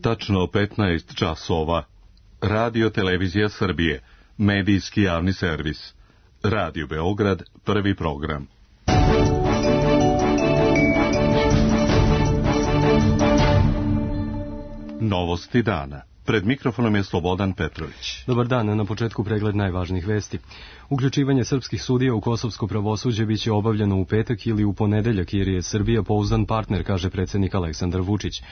Tačno 15 časova. Radio Televizija Srbije. Medijski javni servis. Radio Beograd, prvi program. Novosti dana. Pred mikrofonom je Slobodan Petrović. Dobar dan, na početku pregled najvažnijih vesti. Uključivanje srpskih sudija u kosovsko pravosuđe biće obavljeno u petak ili u ponedeljak, jer je Srbija pouzdan partner, kaže predsjednik Aleksandar Vučić.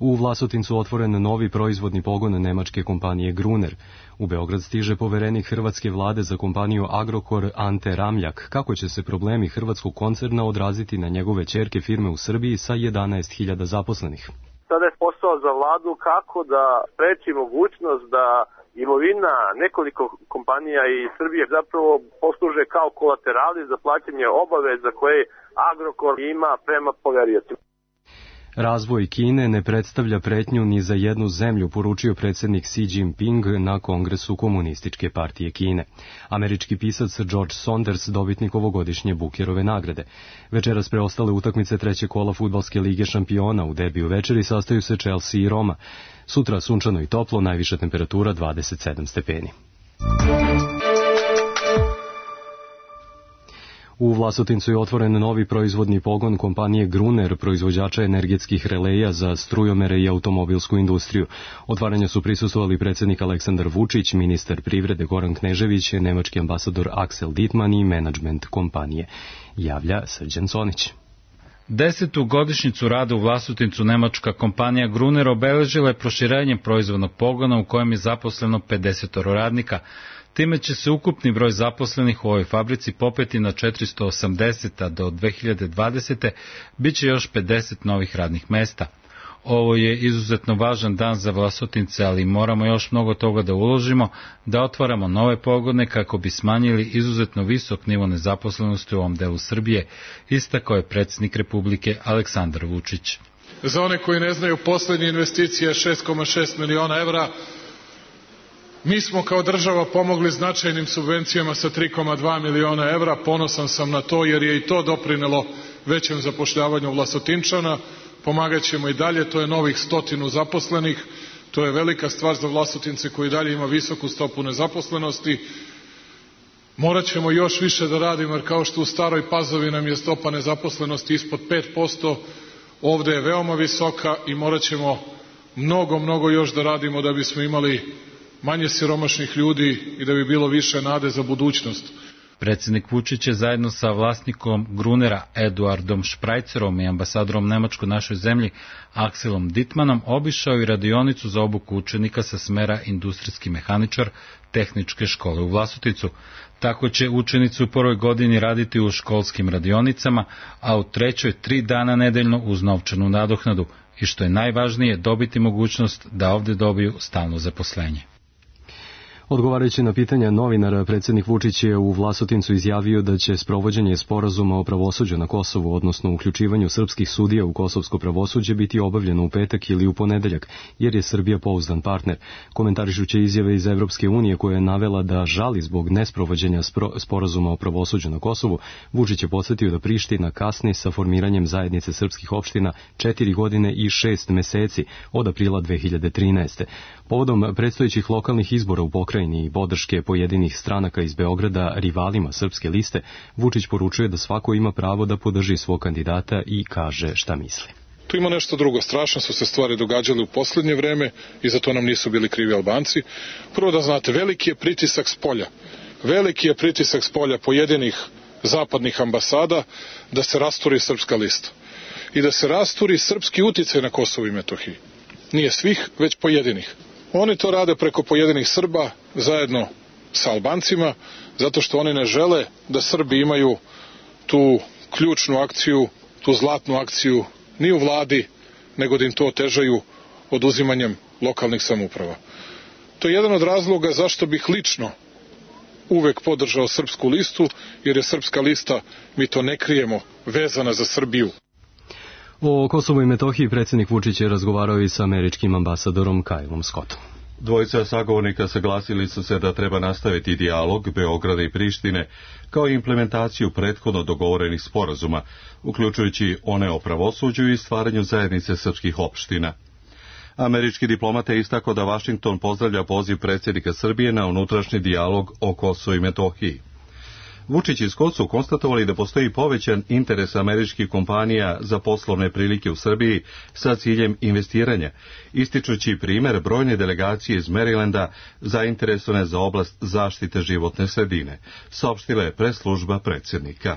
U Vlasotincu otvoren novi proizvodni pogon nemačke kompanije Gruner. U Beograd stiže poverenik hrvatske vlade za kompaniju Agrokor Ante Ramljak. Kako će se problemi hrvatskog koncerna odraziti na njegove ćerke firme u Srbiji sa 11.000 zaposlenih? Sada je posao za vladu kako da spreči mogućnost da imovina nekoliko kompanija iz Srbije zapravo posluže kao kolaterali za plaćanje obaveza koje Agrokor ima prema poveriocima. Razvoj Kine ne predstavlja pretnju ni za jednu zemlju, poručio predsjednik Xi Jinping na Kongresu Komunističke partije Kine. Američki pisac George Saunders, dobitnik ovogodišnje Bookerove nagrade. Večeras preostale utakmice trećeg kola Fudbalske lige šampiona. U derbiju večeri sastaju se Chelsea i Roma. Sutra sunčano i toplo, najviša temperatura 27 stepeni. U Vlasotincu je otvoren novi proizvodni pogon kompanije Gruner, proizvođača energetskih releja za strujomere i automobilsku industriju. Otvaranju su prisustvovali predsjednik Aleksandar Vučić, ministar privrede Goran Knežević, nemački ambasador Axel Dittmann i menadžment kompanije. Javlja Srđan Conić. 10. godišnjicu rada u Vlasotincu nemačka kompanija Gruner obeležila je proširenjem proizvodnog pogona u kojem je zaposleno 50 radnika. Time će se ukupni broj zaposlenih u ovoj fabrici popeti na 480, a do 2020. bit će još 50 novih radnih mesta. Ovo je izuzetno važan dan za Vlasotince, ali moramo još mnogo toga da uložimo, da otvaramo nove pogone kako bi smanjili izuzetno visok nivo nezaposlenosti u ovom delu Srbije, istakao je predsjednik Republike Aleksandar Vučić. Za one koji ne znaju, poslednja investicija je 6,6 miliona evra. Mi smo kao država pomogli značajnim subvencijama sa 3,2 miliona evra. Ponosan sam na to jer je i to doprinelo većem zapošljavanju Vlasotinčana. Pomogat ćemo i dalje, to je novih 100 zaposlenih. To je velika stvar za Vlasotince koji dalje ima visoku stopu nezaposlenosti. Morat ćemo još više da radimo jer kao što u Staroj Pazovi nam je stopa nezaposlenosti ispod 5%, ovde je veoma visoka i morat ćemo mnogo još da radimo da bismo imali manje siromašnih ljudi i da bi bilo više nade za budućnost. Predsjednik Vučić je zajedno sa vlasnikom Grunera Eduardom Šprajcerom i ambasadorom Nemačke u našoj zemlji Axelom Dittmannom obišao i radionicu za obuku učenika sa smera industrijski mehaničar Tehničke škole u Vlasotincu. Tako će učenici u prvoj godini raditi u školskim radionicama, a u trećoj 3 dana nedeljno uz novčanu nadoknadu i što je najvažnije dobiti mogućnost da ovdje dobiju stalno zaposlenje. Odgovarajući na pitanja novinara, predsjednik Vučić je u Vlasotincu izjavio da će sprovođenje sporazuma o pravosuđu na Kosovu, odnosno uključivanju srpskih sudija u kosovsko pravosuđe, biti obavljeno u petak ili u ponedeljak, jer je Srbija pouzdan partner. Komentarišući izjave iz Evropske unije koja je navela da žali zbog nesprovođenja sporazuma o pravosuđu na Kosovu, Vučić je podsjetio da Priština kasni sa formiranjem zajednice srpskih opština 4 godine i 6 meseci od aprila 2013. Povodom predstojećih lokalnih izbora u pokrajini i podrške pojedinih stranaka iz Beograda rivalima Srpske liste, Vučić poručuje da svako ima pravo da podrži svog kandidata i kaže šta misli. Tu ima nešto drugo. Strašno su se stvari događale u poslednje vreme i za to nam nisu bili krivi Albanci. Prvo da znate, veliki je pritisak spolja. Veliki je pritisak spolja pojedinih zapadnih ambasada da se rasturi Srpska lista i da se rasturi srpski uticaj na Kosovu i Metohiji. Nije svih, već pojedinih. Oni to rade preko pojedinih Srba zajedno sa Albancima, zato što oni ne žele da Srbi imaju tu ključnu akciju, tu zlatnu akciju ni u vladi, nego da im to otežaju oduzimanjem lokalnih samouprava. To je jedan od razloga zašto bih lično uvek podržao Srpsku listu, jer je Srpska lista, mi to ne krijemo, vezana za Srbiju. O Kosovu i Metohiji predsjednik Vučić je razgovarao i sa američkim ambasadorom Kylom Scottom. Dvojica sagovornika saglasili su se da treba nastaviti dijalog Beograda i Prištine kao i implementaciju prethodno dogovorenih sporazuma, uključujući one o pravosuđu i stvaranju zajednice srpskih opština. Američki diplomat je istakao da Vašington pozdravlja poziv predsjednika Srbije na unutrašnji dijalog o Kosovu i Metohiji. Vučić i Scott su konstatovali da postoji povećan interes američkih kompanija za poslovne prilike u Srbiji sa ciljem investiranja, ističući primjer brojne delegacije iz Marylanda zainteresovane za oblast zaštite životne sredine, saopštila je press-služba predsjednika.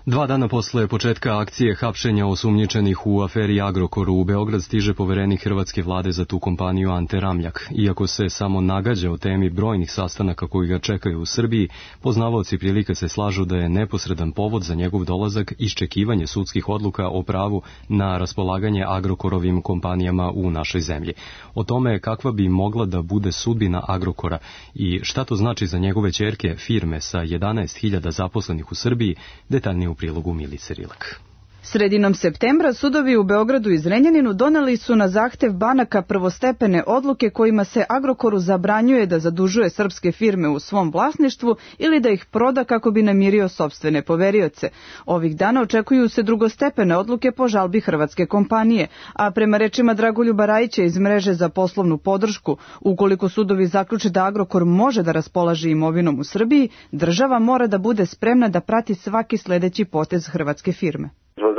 2 dana posle početka akcije hapšenja osumnjičenih u aferi Agrokor u Beograd stiže poverenik hrvatske vlade za tu kompaniju Ante Ramljak. Iako se samo nagađa o temi brojnih sastanaka koji ga čekaju u Srbiji, poznavaoci prilike se slažu da je neposredan povod za njegov dolazak iščekivanje sudskih odluka o pravu na raspolaganje Agrokorovim kompanijama u našoj zemlji. O tome kakva bi mogla da bude sudbina Agrokora i šta to znači za njegove ćerke firme sa 11.000 zaposlenih u Srbiji, detaljnije u prilogu Milice Rilak. Sredinom septembra sudovi u Beogradu i Zrenjaninu doneli su na zahtev banaka prvostepene odluke kojima se Agrokoru zabranjuje da zadužuje srpske firme u svom vlasništvu ili da ih proda kako bi namirio sopstvene poverioce. Ovih dana očekuju se drugostepene odluke po žalbi hrvatske kompanije, a prema rečima Dragoljuba Rajića iz mreže za poslovnu podršku, ukoliko sudovi zaključe da Agrokor može da raspolaže imovinom u Srbiji, država mora da bude spremna da prati svaki sledeći potez hrvatske firme.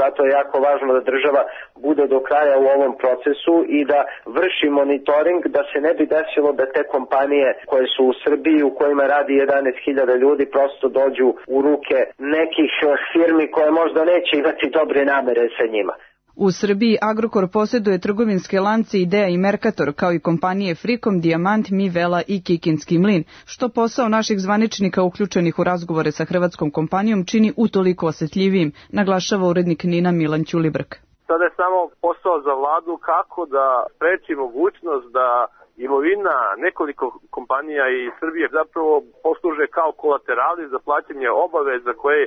Zato je jako važno da država bude do kraja u ovom procesu i da vrši monitoring, da se ne bi desilo da te kompanije koje su u Srbiji, u kojima radi 11.000 ljudi, prosto dođu u ruke nekih firmi koje možda neće imati dobre namere sa njima. U Srbiji Agrokor posjeduje trgovinske lance Idea i Mercator, kao i kompanije Frikom, Dijamant, Mivela i Kikinski mlin, što posao naših zvaničnika uključenih u razgovore sa hrvatskom kompanijom čini utoliko osjetljivijim, naglašava urednik NIN-a Milan Ćulibrk. Sada je samo posao za vladu kako da spreči mogućnost da imovina nekoliko kompanija iz Srbije zapravo posluže kao kolaterali za plaćanje obaveza koje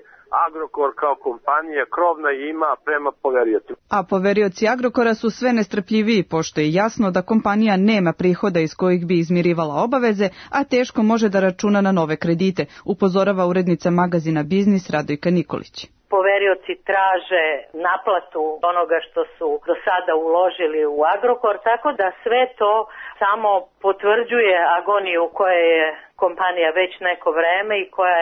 Agrokor kao kompanija krovna ima prema poveriocima. A poverioci Agrokora su sve nestrpljiviji, pošto je jasno da kompanija nema prihoda iz kojih bi izmirivala obaveze, a teško može da računa na nove kredite, upozorava urednica magazina Biznis Radojka Nikolić. Poverioci traže naplatu onoga što su do sada uložili u Agrokor, tako da sve to samo potvrđuje agoniju koja je kompanija već neko vreme i koja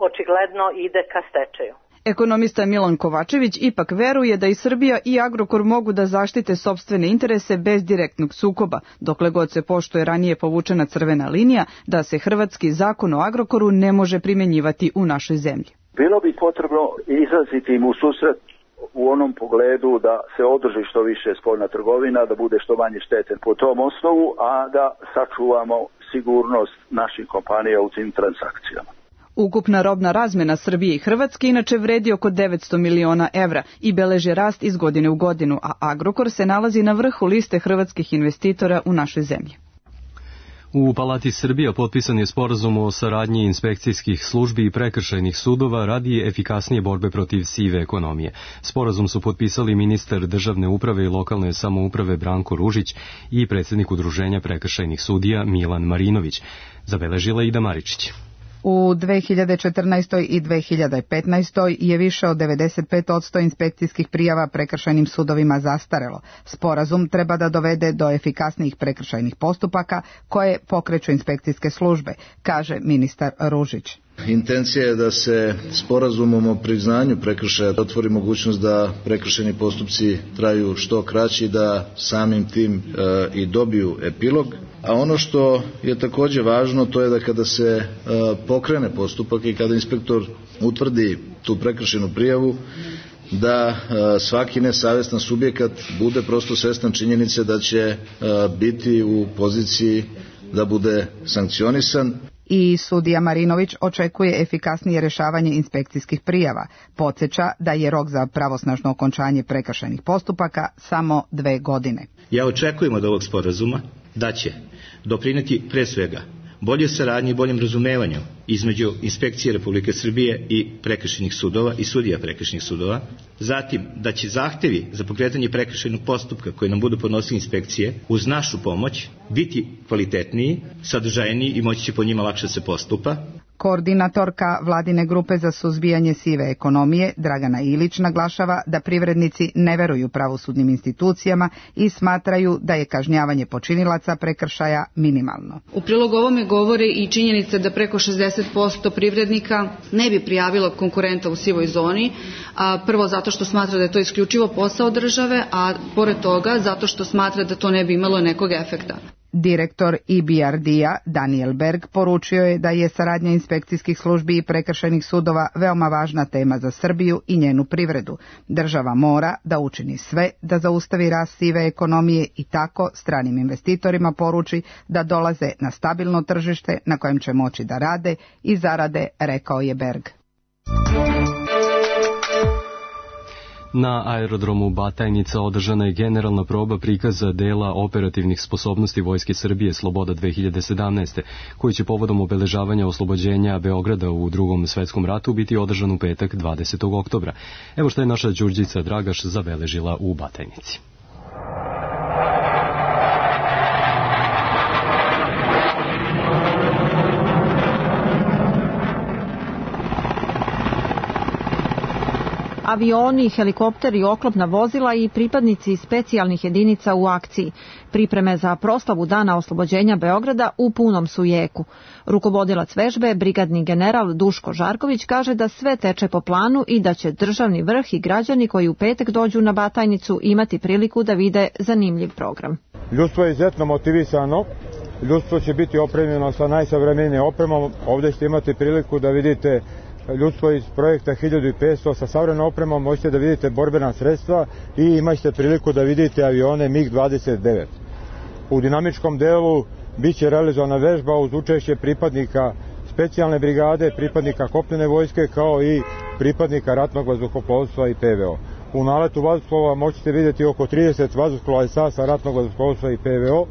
očigledno ide ka stečaju. Ekonomista Milan Kovačević ipak veruje da i Srbija i Agrokor mogu da zaštite sopstvene interese bez direktnog sukoba, dokle god se poštuje ranije povučena crvena linija da se hrvatski zakon o Agrokoru ne može primjenjivati u našoj zemlji. Bilo bi potrebno izraziti im u susret u onom pogledu da se održi što više spoljna trgovina, da bude što manje štete po tom osnovu, a da sačuvamo sigurnost naših kompanija u tim transakcijama. Ukupna robna razmena Srbije i Hrvatske inače vredi oko 900 miliona evra i beleži rast iz godine u godinu, a Agrokor se nalazi na vrhu liste hrvatskih investitora u našoj zemlji. U Palati Srbija potpisan je sporazum o saradnji inspekcijskih službi i prekršajnih sudova radi efikasnije borbe protiv sive ekonomije. Sporazum su potpisali ministar državne uprave i lokalne samouprave Branko Ružić i predsjednik Udruženja prekršajnih sudija Milan Marinović, zabeležila Ida Maričić. U 2014. i 2015. je više od 95% inspekcijskih prijava prekršajnim sudovima zastarelo. Sporazum treba da dovede do efikasnijih prekršajnih postupaka koje pokreću inspekcijske službe, kaže ministar Ružić. Intencija je da se sporazumom o priznanju prekršaja otvori mogućnost da prekršajni postupci traju što kraći, da samim tim i dobiju epilog. A ono što je također važno, to je da kada se pokrene postupak i kada inspektor utvrdi tu prekršajnu prijavu, da svaki nesavestan subjekat bude prosto svestan činjenice da će biti u poziciji da bude sankcionisan. I sudija Marinović očekuje efikasnije rješavanje inspekcijskih prijava. Podsjeća da je rok za pravosnažno okončanje prekršajnih postupaka samo 2 godine. Ja očekujem od ovog sporazuma da će doprineti pre svega bolje saradnje i boljem razumevanju između inspekcije Republike Srbije i prekršajnih sudova i sudija prekršajnih sudova. Zatim, da će zahtevi za pokretanje prekršajnog postupka koje nam budu podnosili inspekcije uz našu pomoć biti kvalitetniji, sadržajniji i moći će po njima lakše se postupa. Koordinatorka vladine grupe za suzbijanje sive ekonomije Dragana Ilić naglašava da privrednici ne veruju pravosudnim institucijama i smatraju da je kažnjavanje počinilaca prekršaja minimalno. U prilog ovome govori i činjenica da preko 60% privrednika ne bi prijavilo konkurenta u sivoj zoni, prvo zato što smatra da je to isključivo posao države, a pored toga zato što smatra da to ne bi imalo nekog efekta. Direktor EBRD-a Daniel Berg poručio je da je saradnja inspekcijskih službi i prekršajnih sudova veoma važna tema za Srbiju i njenu privredu. Država mora da učini sve da zaustavi rast sive ekonomije i tako stranim investitorima poruči da dolaze na stabilno tržište na kojem će moći da rade i zarade, rekao je Berg. Na aerodromu Batajnica održana je generalna proba prikaza dela operativnih sposobnosti Vojske Srbije Sloboda 2017. koji će povodom obeležavanja oslobođenja Beograda u Drugom svetskom ratu biti održan u petak 20. oktobra. Evo što je naša Đurđica Dragaš zabeležila u Batajnici. Avioni, helikopteri, oklopna vozila i pripadnici specijalnih jedinica u akciji. Pripreme za proslavu Dana oslobođenja Beograda u punom su jeku. Rukovodilac vežbe, brigadni general Duško Žarković, kaže da sve teče po planu i da će državni vrh i građani koji u petak dođu na Batajnicu imati priliku da vide zanimljiv program. Ljudstvo je izuzetno motivisano. Ljudstvo će biti opremljeno sa najsavremenijom opremom. Ovdje ćete imati priliku da vidite ljudstvo iz projekta 1500 sa savremenom opremom, možete da vidite borbena sredstva i imaćete priliku da vidite avione MiG-29. U dinamičkom delu biće realizovana vežba uz učešće pripadnika specijalne brigade, pripadnika kopnene vojske kao i pripadnika ratnog vazduhoplovstva i PVO. U naletu vazduhoplova možete vidjeti oko 30 vazduhoplova sa ratnog vazduhoplovstva i PVO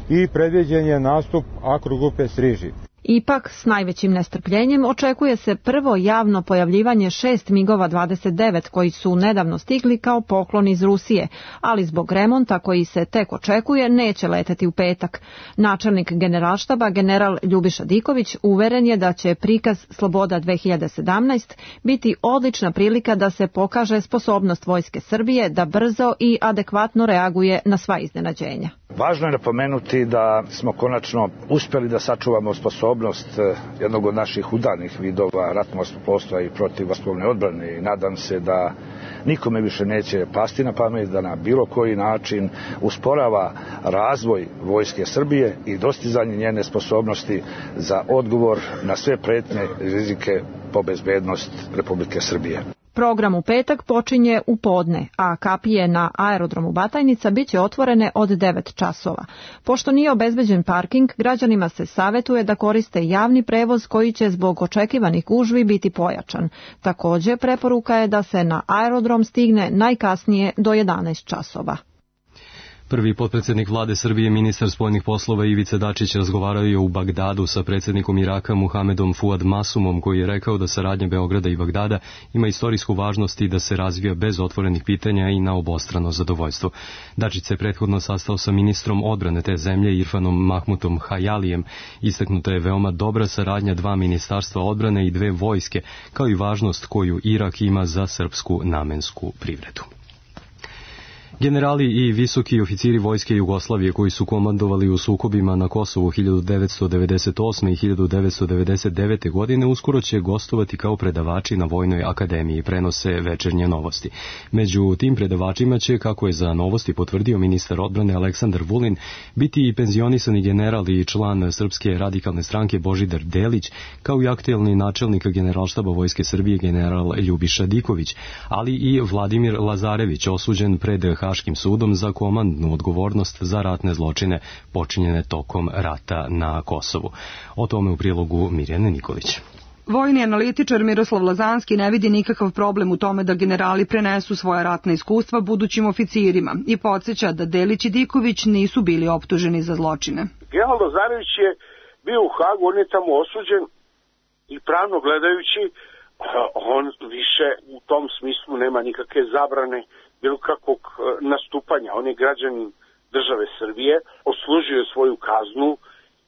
i predviđen je nastup Akro grupe Striži. Ipak, s najvećim nestrpljenjem očekuje se prvo javno pojavljivanje 6 MiG-ova 29 koji su nedavno stigli kao poklon iz Rusije, ali zbog remonta koji se tek očekuje neće leteti u petak. Načelnik Generalštaba general Ljubiša Diković uveren je da će prikaz Sloboda 2017 biti odlična prilika da se pokaže sposobnost Vojske Srbije da brzo i adekvatno reaguje na sva iznenađenja. Važno je napomenuti da smo konačno uspjeli da sačuvamo sposobnost jednog od naših udarnih vidova ratnog vazduhoplovstva i protivvazduhoplovne odbrane i nadam se da nikome više neće pasti na pamet da na bilo koji način usporava razvoj Vojske Srbije i dostizanje njene sposobnosti za odgovor na sve pretnje i rizike po bezbednost Republike Srbije. Program u petak počinje u podne, a kapije na aerodromu Batajnica biće otvorene od 9 časova. Pošto nije obezbeđen parking, građanima se savjetuje da koriste javni prevoz koji će zbog očekivanih gužvi biti pojačan. Također, preporuka je da se na aerodrom stigne najkasnije do 11 časova. Prvi potpredsjednik vlade Srbije, ministar spoljnih poslova Ivica Dačić razgovarao je u Bagdadu sa predsjednikom Iraka Muhamedom Fuad Masumom, koji je rekao da saradnja Beograda i Bagdada ima istorijsku važnost i da se razvija bez otvorenih pitanja i na obostrano zadovoljstvo. Dačić se prethodno sastao sa ministrom odbrane te zemlje Irfanom Mahmutom Hayalijem. Istaknuta je veoma dobra saradnja dva ministarstva odbrane i dve vojske, kao i važnost koju Irak ima za srpsku namensku privredu. Generali i visoki oficiri Vojske Jugoslavije koji su komandovali u sukobima na Kosovu 1998. i 1999. godine uskoro će gostovati kao predavači na Vojnoj akademiji, prenose Večernje novosti. Među tim predavačima će, kako je za Novosti potvrdio ministar odbrane Aleksandar Vulin, biti i penzionisani general i član Srpske radikalne stranke Božidar Delić, kao i aktuelni načelnik Generalštaba Vojske Srbije general Ljubiša Diković, ali i Vladimir Lazarević, osuđen pred Haškim sudom za komandnu odgovornost za ratne zločine počinjene tokom rata na Kosovu. O tome u prilogu Mirjane Nikolić. Vojni analitičar Miroslav Lazanski ne vidi nikakav problem u tome da generali prenesu svoja ratna iskustva budućim oficirima i podsjeća da Delić i Diković nisu bili optuženi za zločine. General Lazarević je bio u Hagu, on je tamo osuđen i pravno gledajući on više u tom smislu nema nikakve zabrane bilo kakvog nastupanja. On je građanin države Srbije, odslužio svoju kaznu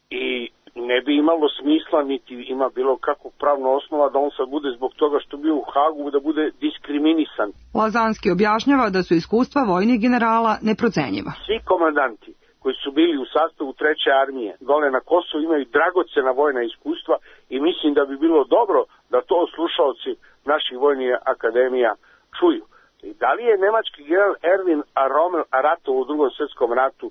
i ne bi imalo smisla, niti ima bilo kakvog pravno osnova da on sad bude zbog toga što bio u Hagu, da bude diskriminisan. Lazanski objašnjava da su iskustva vojnih generala neprocenjiva. Svi komandanti koji su bili u sastavu 3. armije dole na Kosovu imaju dragocena vojna iskustva i mislim da bi bilo dobro da to slušaoci naših vojnih akademija čuju. I da li je nemački general Erwin Rommel ratovao u Drugom svjetskom ratu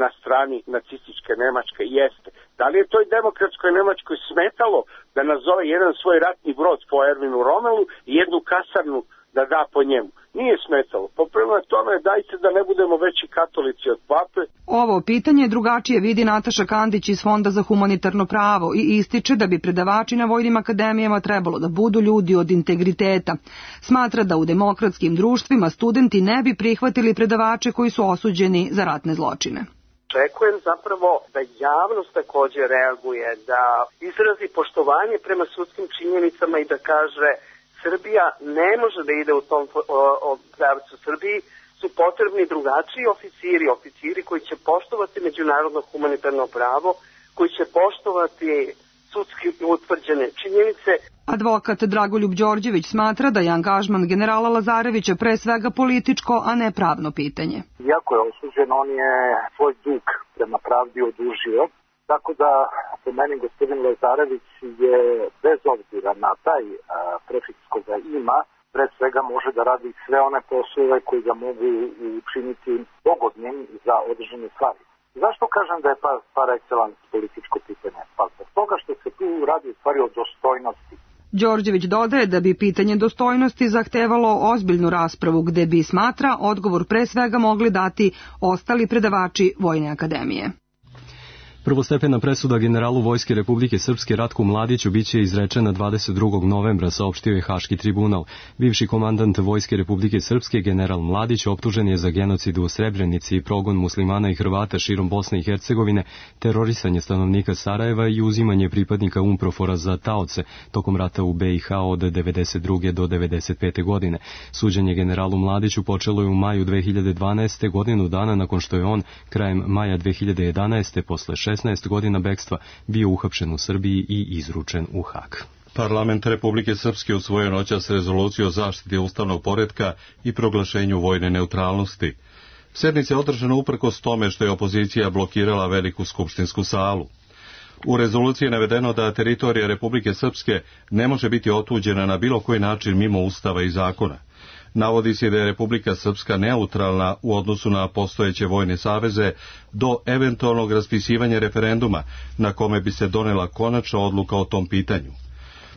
na strani nacističke Nemačke? Jeste. Da li je toj demokratskoj Nemačkoj smetalo da nazove jedan svoj ratni brod po Erwinu Rommelu i jednu kasarnu da da po njemu? Nije smetalo. Prema tome, dajte da ne budemo veći katolici od pape. Ovo pitanje drugačije vidi Nataša Kandić iz Fonda za humanitarno pravo i ističe da bi predavači na vojnim akademijama trebalo da budu ljudi od integriteta. Smatra da u demokratskim društvima studenti ne bi prihvatili predavače koji su osuđeni za ratne zločine. Očekujem zapravo da javnost takođe reaguje, da izrazi poštovanje prema sudskim činjenicama i da kaže Srbija ne može da ide u tom pravcu. Srbiji su potrebni drugačiji oficiri koji će poštovati međunarodno humanitarno pravo, koji će poštovati sudski utvrđene činjenice. Advokat Dragoljub Đorđević smatra da je angažman generala Lazarevića pre svega političko, a ne pravno pitanje. Iako je osuđen, on je svoj dug prema pravdi odužio. Tako da, po meni, gospodin Lazarević je, bez obzira na taj prefiks koga ima, pre svega može da radi sve one poslove koji ga mogu učiniti pogodnim za određene stvari. Zašto kažem da je par excellence političko pitanje? Pa zbog toga što se tu radi u stvari o dostojnosti. Đorđević dodaje da bi pitanje dostojnosti zahtevalo ozbiljnu raspravu gde bi, smatra, odgovor pre svega mogli dati ostali predavači Vojne akademije. Prvostepena presuda generalu Vojske Republike Srpske Ratku Mladiću biće izrečena 22. novembra, saopštio je Haški tribunal. Bivši komandant Vojske Republike Srpske general Mladić optužen je za genocid u Srebrenici, progon muslimana i Hrvata širom Bosne i Hercegovine, terorisanje stanovnika Sarajeva i uzimanje pripadnika UNPROFOR-a za taoce tokom rata u BiH od 1992. do 1995. godine. Suđenje generalu Mladiću počelo je u maju 2012. godinu dana nakon što je on krajem maja 2011. posle 16 godina bekstva bio uhapšen u Srbiji i izručen u Hag. Parlament Republike Srpske usvojio noćas rezoluciju o zaštiti ustavnog poretka i proglašenju vojne neutralnosti. Sednica je održana uprkos tome što je opozicija blokirala veliku skupštinsku salu. U rezoluciji je navedeno da teritorija Republike Srpske ne može biti otuđena na bilo koji način mimo ustava i zakona. Navodi se da je Republika Srpska neutralna u odnosu na postojeće vojne saveze do eventualnog raspisivanja referenduma na kome bi se donela konačna odluka o tom pitanju.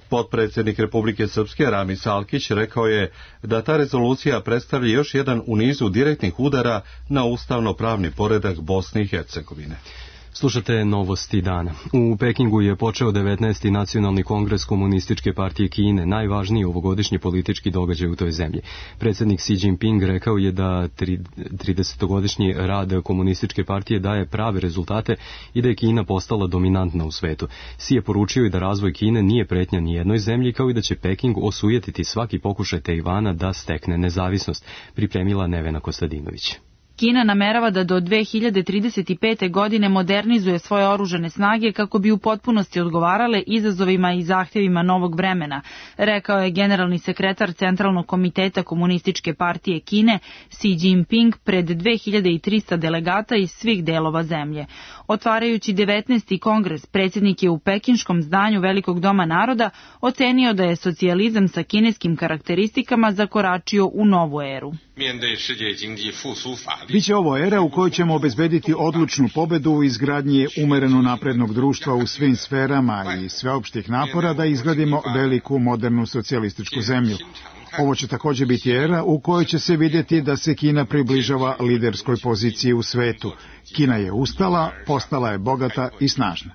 Potpredsjednik Republike Srpske Ramis Alkić rekao je da ta rezolucija predstavlja još jedan u nizu direktnih udara na ustavno-pravni poredak Bosne i Hercegovine. Slušate novosti dana. U Pekingu je počeo 19. nacionalni kongres Komunističke partije Kine, najvažniji ovogodišnji politički događaj u toj zemlji. Predsjednik Xi Jinping rekao je da 30-godišnji rad Komunističke partije daje prave rezultate i da je Kina postala dominantna u svetu. Xi je poručio i da razvoj Kine nije pretnja ni jednoj zemlji, kao i da će Peking osujetiti svaki pokušaj Tajvana da stekne nezavisnost, pripremila Nevena Kostadinović. Kina namerava da do 2035. godine modernizuje svoje oružane snage kako bi u potpunosti odgovarale izazovima i zahtjevima novog vremena, rekao je generalni sekretar Centralnog komiteta Komunističke partije Kine Xi Jinping pred 2300 delegata iz svih delova zemlje. Otvarajući 19. kongres, predsjednik je u pekinškom zdanju Velikog doma naroda ocenio da je socijalizam sa kineskim karakteristikama zakoračio u novu eru. Biće ovo era u kojoj ćemo obezbediti odlučnu pobedu u izgradnji umereno naprednog društva u svim sferama i sveopštih napora da izgradimo veliku modernu socijalističku zemlju. Ovo će također biti era u kojoj će se vidjeti da se Kina približava liderskoj poziciji u svetu. Kina je ustala, postala je bogata i snažna.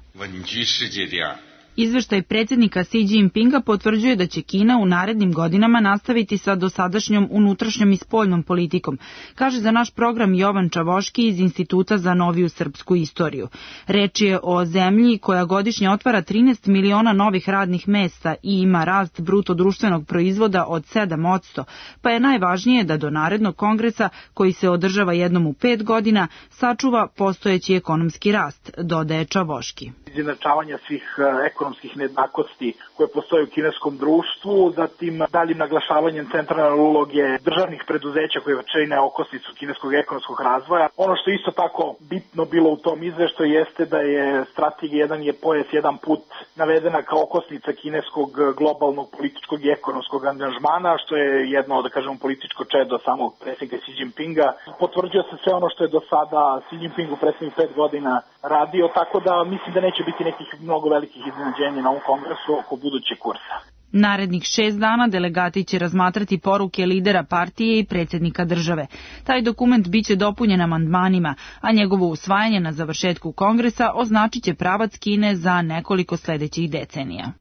Izveštaj predsjednika Xi Jinpinga potvrđuje da će Kina u narednim godinama nastaviti sa dosadašnjom unutrašnjom i spoljnom politikom, kaže za naš program Jovan Čavoški iz Instituta za noviju srpsku istoriju. Reč je o zemlji koja godišnje otvara 13 miliona novih radnih mesta i ima rast bruto društvenog proizvoda od 7%, pa je najvažnije da do narednog kongresa, koji se održava jednom u 5 godina, sačuva postojeći ekonomski rast, dodaje Čavoški. izjednačavanja svih ekonomskih nejednakosti koje postoje u kineskom društvu, zatim daljim naglašavanjem centralne uloge državnih preduzeća koje čine okosnicu kineskog ekonomskog razvoja. Ono što isto tako bitno bilo u tom izveštaju jeste da je strategija jedan je pojas, jedan put navedena kao okosnica kineskog globalnog političkog i ekonomskog angažmana, što je jedno, da kažemo, političko čedo samog predsjednika Xi Jinpinga. Potvrđuje se sve ono što je do sada Xi Jinping u prethodnih 5 godina radio, tako da mislim da neće biti nekih mnogo velikih iznenađenja na ovom kongresu oko budućeg kursa. Narednih 6 dana delegati će razmatrati poruke lidera partije i predsjednika države. Taj dokument biće dopunjen amandmanima, a njegovo usvajanje na završetku kongresa označit će pravac Kine za nekoliko sledećih decenija.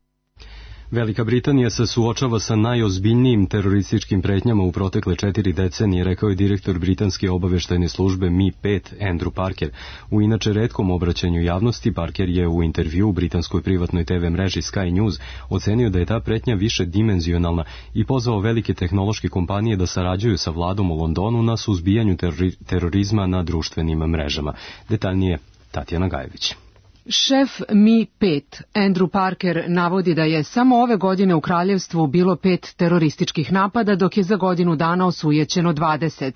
Velika Britanija se suočava sa najozbiljnijim terorističkim pretnjama u protekle 4 decenije, rekao je direktor britanske obaveštajne službe MI5 Andrew Parker. U inače retkom obraćanju javnosti, Parker je u intervju u britanskoj privatnoj TV mreži Sky News ocenio da je ta pretnja više dimenzionalna i pozvao velike tehnološke kompanije da sarađuju sa vladom u Londonu na suzbijanju terorizma na društvenim mrežama. Detaljnije Tatjana Gajević. Šef MI5 Andrew Parker navodi da je samo ove godine u kraljevstvu bilo 5 terorističkih napada, dok je za godinu dana osujećeno 20.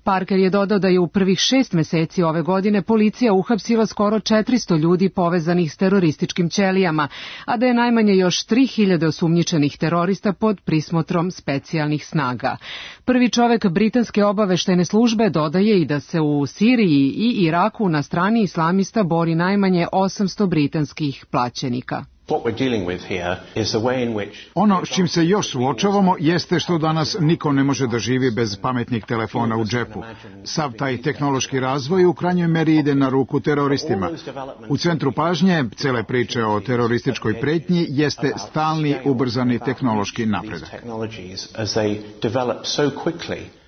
Parker je dodao da je u prvih 6 meseci ove godine policija uhapsila skoro 400 ljudi povezanih s terorističkim ćelijama, a da je najmanje još 3000 osumnjičenih terorista pod prismotrom specijalnih snaga. Prvi čovek britanske obaveštajne službe dodaje i da se u Siriji i Iraku na strani islamista bori najmanje 800 britanskih plaćenika. Ono s čim se još suočavamo jeste što danas niko ne može da živi bez pametnih telefona u džepu. Sav taj tehnološki razvoj u krajnjoj meri ide na ruku teroristima. U centru pažnje cele priče o terorističkoj pretnji jeste stalni ubrzani tehnološki napredak.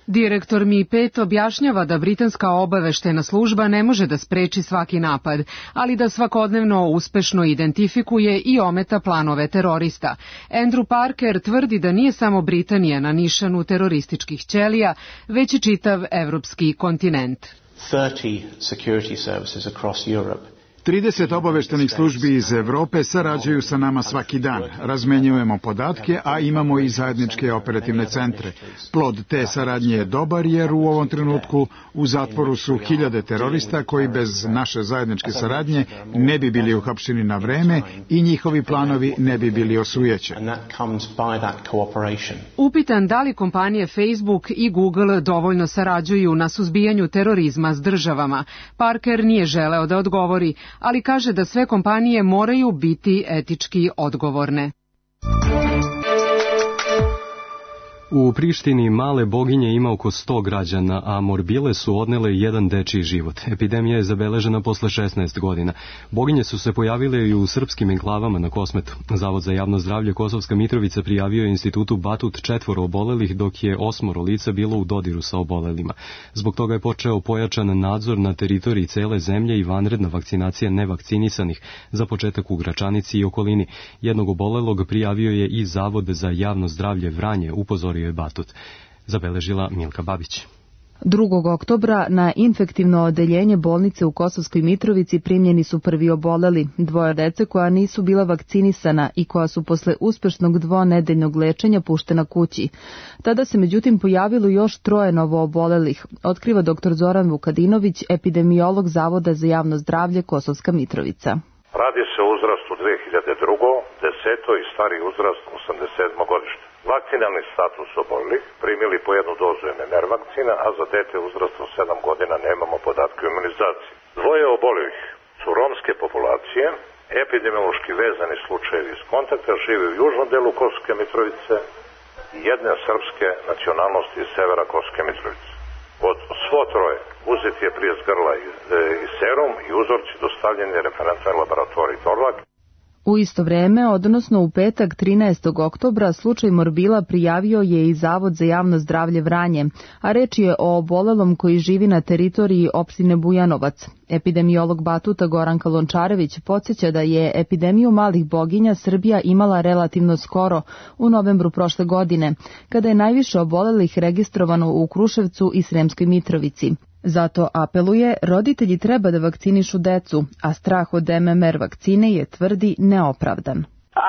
Direktor MI5 objašnjava da britanska obaveštajna služba ne može da spreči svaki napad, ali da svakodnevno uspešno identifikuje i ometa planove terorista. Andrew Parker tvrdi da nije samo Britanija na nišanu terorističkih ćelija, već i čitav evropski kontinent. 30 security services across Europe 30 obaveštenih službi iz Evrope sarađuju sa nama svaki dan. Razmenjujemo podatke, a imamo i zajedničke operativne centre. Plod te saradnje je dobar jer u ovom trenutku u zatvoru su 1000 terorista koji bez naše zajedničke saradnje ne bi bili uhapšeni na vreme i njihovi planovi ne bi bili osujećeni. Upitan da li kompanije Facebook i Google dovoljno sarađuju na suzbijanju terorizma s državama, Parker nije želeo da odgovori, ali kaže da sve kompanije moraju biti etički odgovorne. U Prištini male boginje ima oko 100 građana, a morbile su odnele jedan dečiji život. Epidemija je zabeležena posle 16 godina. Boginje su se pojavile i u srpskim enklavama na Kosmetu. Zavod za javno zdravlje Kosovska Mitrovica prijavio je institutu Batut 4 obolelih, dok je 8 lica bilo u dodiru sa obolelima. Zbog toga je počeo pojačan nadzor na teritoriji cele zemlje i vanredna vakcinacija nevakcinisanih, za početak u Gračanici i okolini. Jednog obolelog prijavio je i Zavod za javno zdravlje Vranje, upozorio je Batut. Zabeležila Milka Babić. 2. oktobra na infektivno odeljenje bolnice u Kosovskoj Mitrovici primljeni su prvi oboleli, 2 dece koja nisu bila vakcinisana i koja su posle uspešnog 2-nedeljnog lečenja puštena kući. Tada se međutim pojavilo još 3 novoobolelih, otkriva dr. Zoran Vukadinović, epidemiolog Zavoda za javno zdravlje Kosovska Mitrovica. Radi se o uzrastu 2002. 10. i stari uzrast 87. godište. Vakcinalni status obolelih, primili po 1 dozu MMR vakcina, a za dete uzrasta 7 godina nemamo podatke o imunizaciji. 2 obolelih su romske populacije, epidemiološki vezani slučajevi iz kontakta, žive u južnom delu Kosovske Mitrovice i jedne srpske nacionalnosti iz severa Kosovske Mitrovice. Od svo 3 uzet je prije grla i serum i uzorci dostavljeni referentnoj laboratoriji Torlak. U isto vreme, odnosno u petak 13. oktobra, slučaj morbila prijavio je i Zavod za javno zdravlje Vranje, a reč je o obolelom koji živi na teritoriji opštine Bujanovac. Epidemiolog Batuta Goranka Lončarević podsjeća da je epidemiju malih boginja Srbija imala relativno skoro, u novembru prošle godine, kada je najviše obolelih registrovano u Kruševcu i Sremskoj Mitrovici. Zato apeluje, roditelji treba da vakcinišu decu, a strah od MMR vakcine je, tvrdi, neopravdan.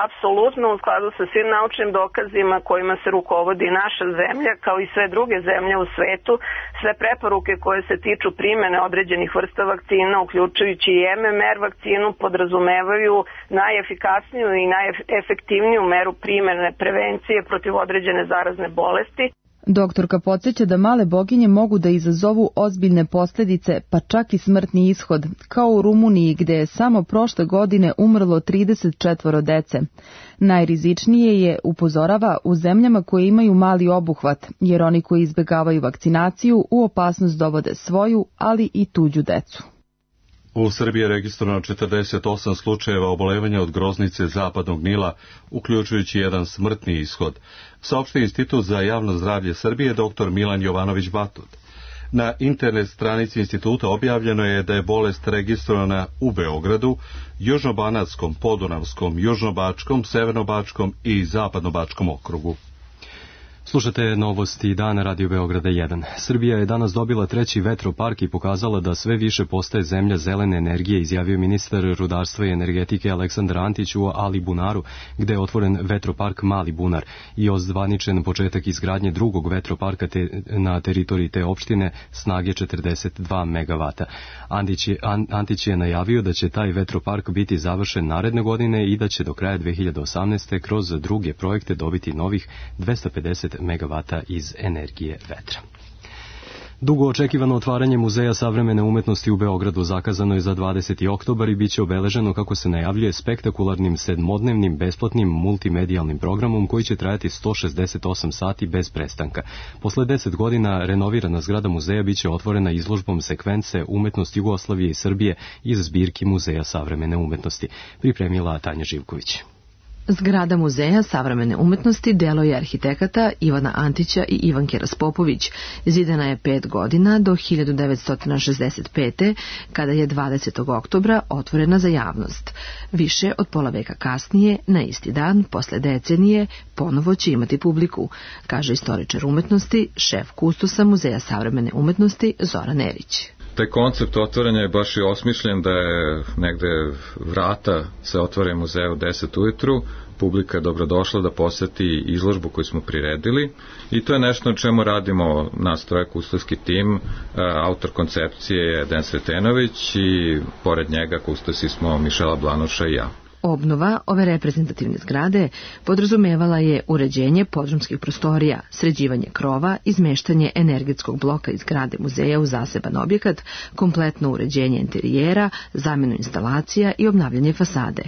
Apsolutno u skladu sa svim naučnim dokazima kojima se rukovodi naša zemlja, kao i sve druge zemlje u svetu, sve preporuke koje se tiču primene određenih vrsta vakcina, uključujući i MMR vakcinu, podrazumevaju najefikasniju i najefektivniju meru primene prevencije protiv određene zarazne bolesti. Doktorka podsjeća da male boginje mogu da izazovu ozbiljne posljedice, pa čak i smrtni ishod, kao u Rumuniji gde je samo prošle godine umrlo 34 dece. Najrizičnije je, upozorava, u zemljama koje imaju mali obuhvat, jer oni koji izbjegavaju vakcinaciju u opasnost dovode svoju, ali i tuđu decu. U Srbiji je registrovano 48 slučajeva obolevanja od groznice zapadnog Nila, uključujući jedan smrtni ishod, saopštio Institut za javno zdravlje Srbije dr. Milan Jovanović Batut. Na internet stranici instituta objavljeno je da je bolest registrovana u Beogradu, Južnobanatskom, Podunavskom, Južnobačkom, Severnobačkom i Zapadnobačkom okrugu. Slušate novosti dana Radio Beograda 1. Srbija je danas dobila 3. vetropark i pokazala da sve više postaje zemlja zelene energije, izjavio ministar rudarstva i energetike Aleksandar Antić u Alibunaru, gde je otvoren vetropark Mali Bunar i ozvaničen početak izgradnje drugog vetroparka na teritoriji te opštine snage 42 megavata. Antić je najavio da će taj vetropark biti završen naredne godine i da će do kraja 2018. kroz druge projekte dobiti novih 250 megavata iz energije vetra. Dugo očekivano otvaranje Muzeja savremene umetnosti u Beogradu zakazano je za 20. oktobar i bit će obeleženo, kako se najavljuje, spektakularnim 7-dnevnim besplatnim multimedijalnim programom koji će trajati 168 sati bez prestanka. Posle 10 godina renovirana zgrada muzeja bit će otvorena izložbom sekvence Umetnost Jugoslavije i Srbije iz zbirki Muzeja savremene umetnosti, pripremila Tanja Živković. Zgrada Muzeja savremene umetnosti delo je arhitekata Ivana Antića i Ivanke Raspopović. Zidana je 5 godina do 1965. kada je 20. oktobra otvorena za javnost. Više od pola veka kasnije, na isti dan, posle decenije, ponovo će imati publiku, kaže istoričar umetnosti, šef kustosa Muzeja savremene umetnosti Zoran Erić. Taj koncept otvaranja je baš i osmišljen da je negde vrata se otvore muzeja u 10 ujutru, publika je dobrodošla da poseti izložbu koju smo priredili i to je nešto na čemu radimo nas troje kustovski tim. Autor koncepcije je Den Sretenović i pored njega kustosi smo Mišela Blanuša i ja. Obnova ove reprezentativne zgrade podrazumevala je uređenje podrumskih prostorija, sređivanje krova, izmeštanje energetskog bloka iz zgrade muzeja u zaseban objekat, kompletno uređenje interijera, zamjenu instalacija i obnavljanje fasade.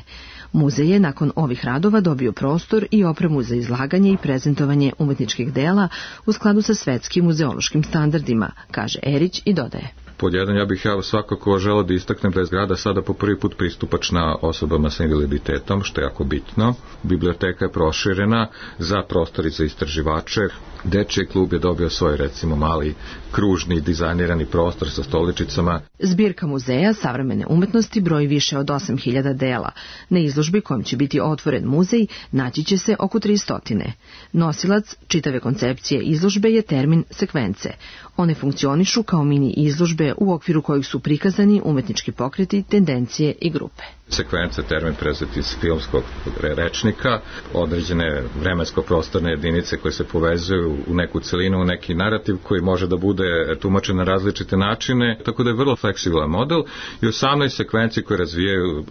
Muzej je nakon ovih radova dobio prostor i opremu za izlaganje i prezentovanje umetničkih dela u skladu sa svetskim muzeološkim standardima, kaže Erić i dodaje. Pod jedan, ja bih svakako želeo da istaknem da je zgrada sada po prvi put pristupačna osobama sa invaliditetom, što je jako bitno. Biblioteka je proširena za prostori za istraživače. Dečiji klub je dobio svoj, recimo, mali kružni dizajnirani prostor sa stoličicama. Zbirka Muzeja savremene umetnosti broji više od 8000 dela. Na izložbi kojom će biti otvoren muzej naći će se oko 300. Nosilac čitave koncepcije izložbe je termin sekvence. One funkcionišu kao mini izložbe u okviru kojih su prikazani umetnički pokreti, tendencije i grupe. Sekvence termin prezet iz filmskog rečnika, određene vremensko-prostorne jedinice koje se povezuju u neku celinu, u neki narativ koji može da bude tumačen na različite načine, tako da je vrlo fleksibilan model i 18 sekvenci koje razvijaju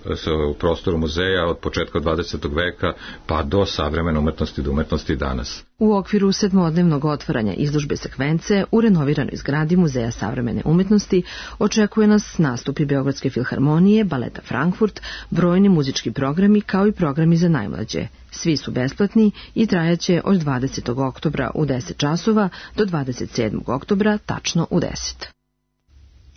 u prostoru muzeja od početka 20. veka pa do savremene umetnosti do umetnosti danas. U okviru 7-dnevnog otvaranja izložbe sekvence u renoviranoj zgradi Muzeja savremene umetnosti očekuje nas nastupi Beogradske filharmonije, Baleta Frankfurt, brojni muzički programi kao i programi za najmlađe. Svi su besplatni i trajaće od 20. oktobra u 10 časova do 27. oktobra tačno u 10.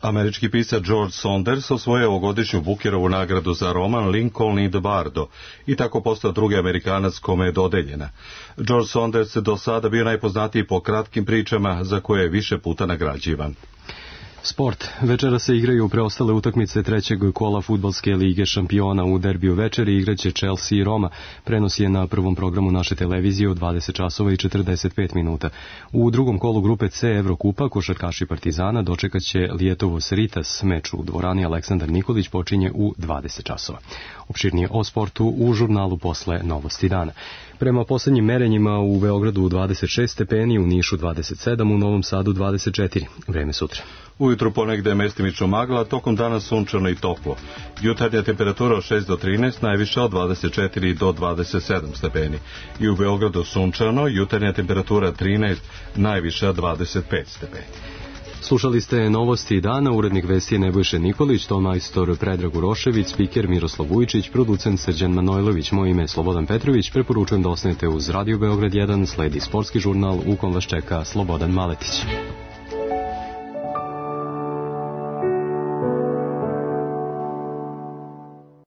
Američki pisac George Saunders osvojio ovogodišnju Bookerovu nagradu za roman Lincoln i the Bardo i tako postao drugi Amerikanac kome je dodeljena. George Saunders je do sada bio najpoznatiji po kratkim pričama za koje je više puta nagrađivan. Sport. Večera se igraju preostale utakmice trećeg kola fudbalske lige šampiona. U derbiju večeri igraće Chelsea i Roma. Prenos je na prvom programu naše televizije u 20 časova i 45 minuta. U drugom kolu grupe C Evrokupa košarkaši Partizana dočekaće Lijetovos Ritas. Meč u dvorani Aleksandar Nikolić počinje u 20 časova. Opširnije o sportu u žurnalu posle Novosti dana. Prema poslednjim merenjima u Beogradu 26 stepeni, u Nišu 27, u Novom Sadu 24. Vreme sutra. Ujutru ponegde mestimično magla, tokom dana sunčano i toplo. Jutarnja temperatura od 6 do 13, najviša od 24 do 27 stepeni. I u Beogradu sunčano, jutarnja temperatura 13, najviša 25 stepeni. Slušali ste Novosti dana, urednik vesti je Nebojša Nikolić, tonmajstor Predrag Urošević, spiker Miroslav Vujičić, producent Srđan Manojlović, moje ime je Slobodan Petrović. Preporučujem da ostanete uz Radio Beograd 1, sledi sportski žurnal u kom vas čeka Slobodan Maletić.